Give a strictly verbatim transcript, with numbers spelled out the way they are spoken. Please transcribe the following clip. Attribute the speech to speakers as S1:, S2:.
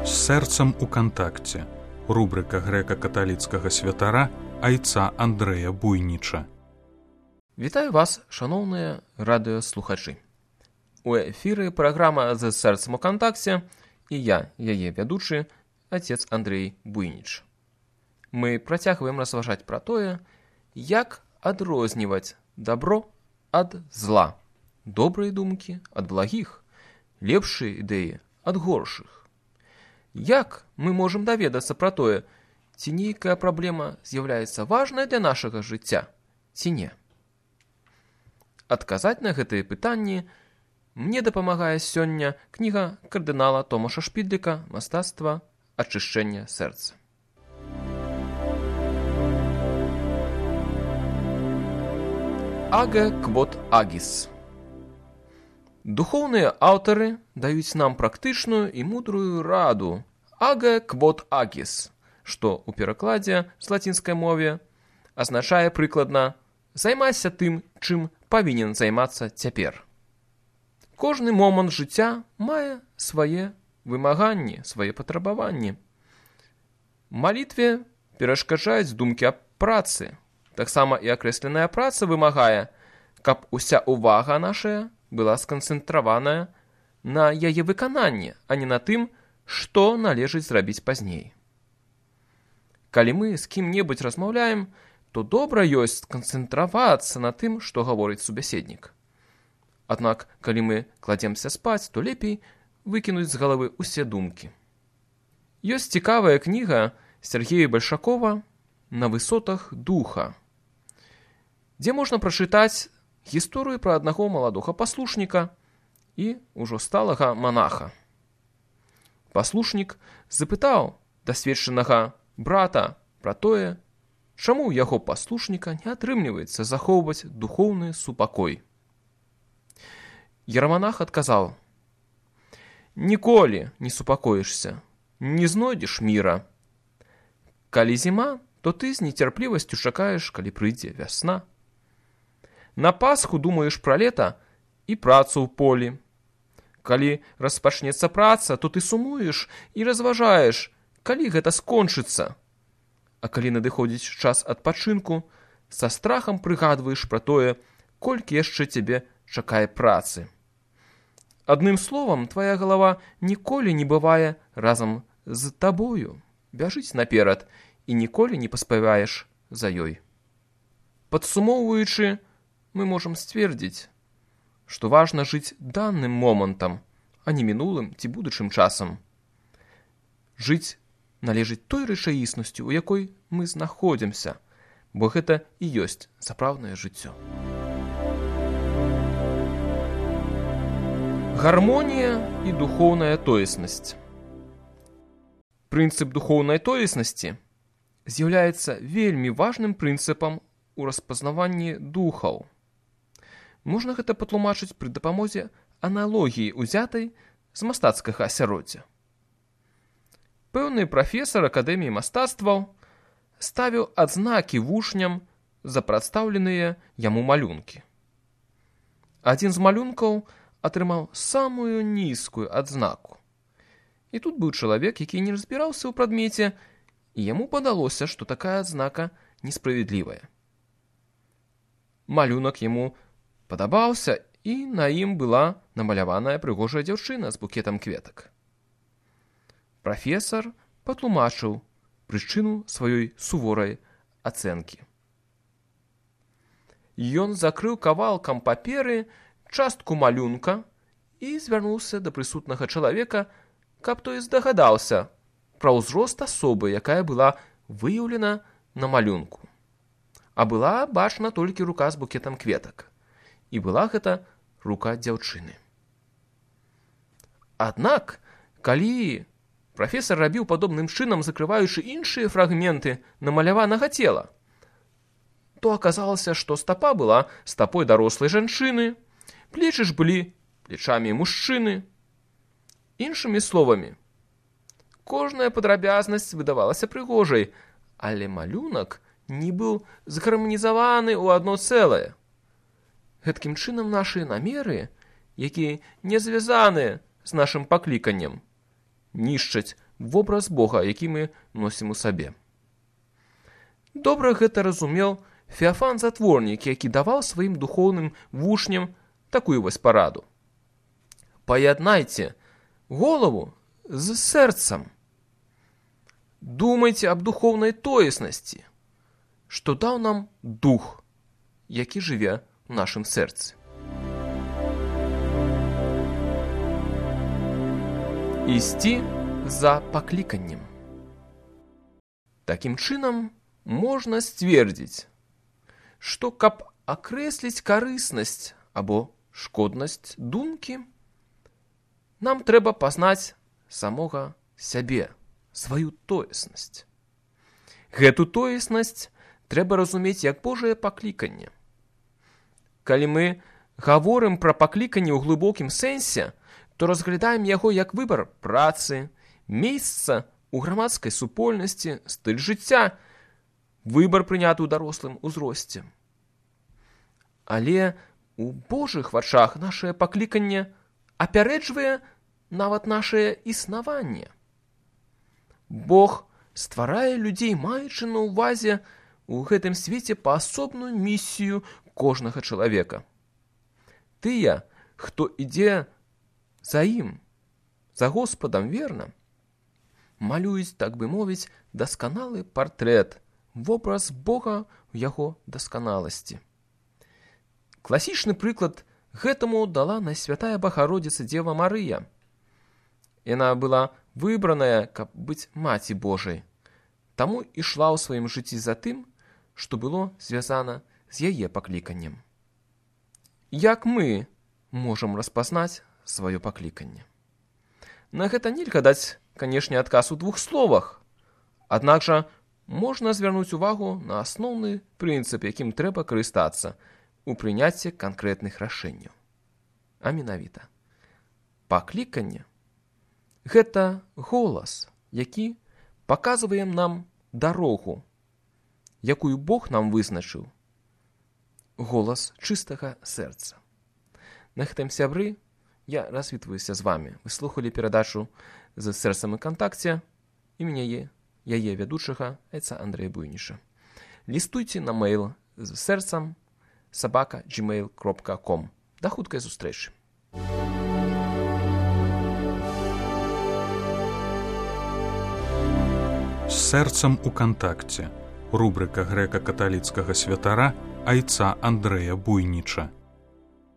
S1: З сэрцам у кантакце. Рубрика грэка-каталіцкага святара айца Андрэя Буйніча.
S2: Вітаю вас, шановныя радыёслухачы. У эфіры праграма «З сэрцам у кантакце» і я, яе вядучы, отец Андрей Буйніч. Мы працягваем разважаць пра тое, як адрозніваць дабро ад зла, добрыя думкі ад благіх, лепшыя ідэі ад горшых. Як мы можам даведацца пра тое, ці нейкая праблема з'яўляецца важнай для нашага жыцця, ці не? Адказаць на гэтыя пытанні мне дапамагае сёння кніга кардынала Томаша Шпідліка «Мастацтва ачышчэння сэрца». Аге квот агіс. Духоўныя аўтары даюць нам практычную і мудрую раду «аге квот агіс», што ў перакладзе з лацінскай мове азначае прыкладна «займайся тым, чым павінен займацца цяпер». Кожны момант жыцця мае свае вымаганні, свае патрабаванні. Малітве перашкаджаюць думкі аб працы. Таксама і акрэсленая праца вымагае, каб уся ўвага нашая была сканцэнтраваная на яе выкананні, а не на тым, што належыць зрабіць пазней. Калі мы з кім-небудзь размаўляем, то добра ёсць сканцэнтравацца на тым, што гаворыць субяседнік. Аднак, калі мы кладземся спаць, то лепей выкінуць з галавы ўсе думкі. Ёсць цікавая кніга Сергея Бальшакова «На высотах духа», дзе можна прачытаць гісторыю пра аднаго маладога паслушніка і ўжо сталага манаха. Паслушнік запытаў дасведчанага брата пра тое, чаму ў яго паслушніка не атрымліваецца захоўваць духоўны супакой. Ераманах адказаў: «Ніколі не супакоішся, не знойдзеш міра. Калі зіма, то ты з нецярплівасцю чакаеш, калі прыйдзе вясна. На Пасху думаеш пра лета і працу ў полі. Калі распачнецца праца, то ты сумуеш і разважаеш, калі гэта скончыцца. А калі надыходзіць час адпачынку, са страхам прыгадваеш пра тое, колькі яшчэ цябе чакае працы. Адным словам, твая галава ніколі не бывае разам з табою, бяжыць наперад, і ніколі не паспяваеш за ёй». Падсумоўваючы, мы можам сцвердзіць, што важна жыць даным момантам, а не мінулым ці будучым часам. Жыць належыць той рэчаіснасцю, у якой мы знаходзімся, бо гэта і ёсць сапраўднае жыццё. Гармонія і духоўная тоеснасць. Прынцып духоўнай тоеснасці з'яўляецца вельмі важным прынцыпам у распазнаванні духаў. Можна гэта патлумачыць пры дапамозе аналогіі, узятай з мастацкага асяроддзя. Пэўны прафесар акадэміі мастацтваў ставіў адзнакі вучням за прадстаўленыя яму малюнкі. Адзін з малюнкаў атрымаў самую нізкую адзнаку. І тут быў чалавек, які не разбіраўся ў прадмеце, і яму падалося, што такая адзнака несправядлівая. Малюнак яму падабаўся, і на ім была намаляваная прыгожая дзяўчына з букетам кветак. Прафесар патлумачыў прычыну сваёй суворай ацэнкі. Ён закрыў кавалкам паперы частку малюнка і звярнуўся да прысутнага чалавека, каб той здагадаўся пра ўзрост асобы, якая была выяўлена на малюнку. А была бачна толькі рука з букетам кветак. І была гэта рука дзяўчыны. Аднак, калі прафесар рабіў падобным чынам, закрываючы іншыя фрагменты намаляванага цела, то аказалася, што стапа была стапой дарослай жанчыны, плечы ж былі плечамі мужчыны. Іншымі словамі, кожная падрабязнасць выдавалася прыгожай, але малюнак не быў згарманізаваны ў адно цэлае. Гэткім чынам нашыя намеры, якія не звязаныя з нашым пакліканнем, нішчаць вобраз Бога, які мы носім у сабе. Добра гэта разумеў Феафан Затворнік, які даваў сваім духоўным вучням такую вось параду. Паяднайце голову з сэрцам. Думайце аб духоўнай тоеснасці, што даў нам дух, які жыве ў нашым сэрцы. Ісці за пакліканнем. Такім чынам можна сцвердзіць, што каб акрэсліць карыснасць або шкоднасць думкі, нам трэба пазнаць самога сябе, сваю тоеснасць. Гэту тоеснасць трэба разумець як Божае пакліканне. Калі мы гаворым пра пакліканне ў глыбокім сэнсе, то разглядаем яго як выбар працы, месца ў грамадскай супольнасці, стыль жыцця, выбар прыняты ў дарослым узросце. Але у Божых вачах нашае пакліканне апярэджвае нават нашае існаванне. Бог стварае людзей, маючы на ўвазе у гэтым свеце паасобную місію кожнага чалавека. Тыя, хто ідзе за ім, за Господам верна, малююць, так бы мовіць, дасканалы партрэт, вобраз Бога ў яго дасканаласці. Класічны прыклад гэтаму дала Найсвятая Багародзіца Дзева Марыя. Яна была выбраная, каб быць маці Божай, таму ішла ў сваім жыцці за тым, што было звязана з яе пакліканнем. Як мы можам распазнаць сваё пакліканне? На гэта нельга даць, канешне, адказ у двух словах, аднак жа можна звярнуць увагу на асноўны прынцып, якім трэба карыстацца у прыняцці канкрэтных рашэнняў. А менавіта, пакліканне – гэта голас, які паказвае нам дарогу, якую Бог нам вызначыў. Голас чыстага сэрца. На гэтым, сябры, я развітваюся з вамі. Вы слухалі перадачу «З сэрцам у кантакце» і мяне, яе вядучага, айца Андрэя Буйніша. Лістуйце на мейл з сэрцам сабака джимейл кропка ком. Да хуткай сустрэчы.
S1: З сэрцам у кантакце. Рубрика грэка-каталіцкага святара айца Андрэя Буйніча.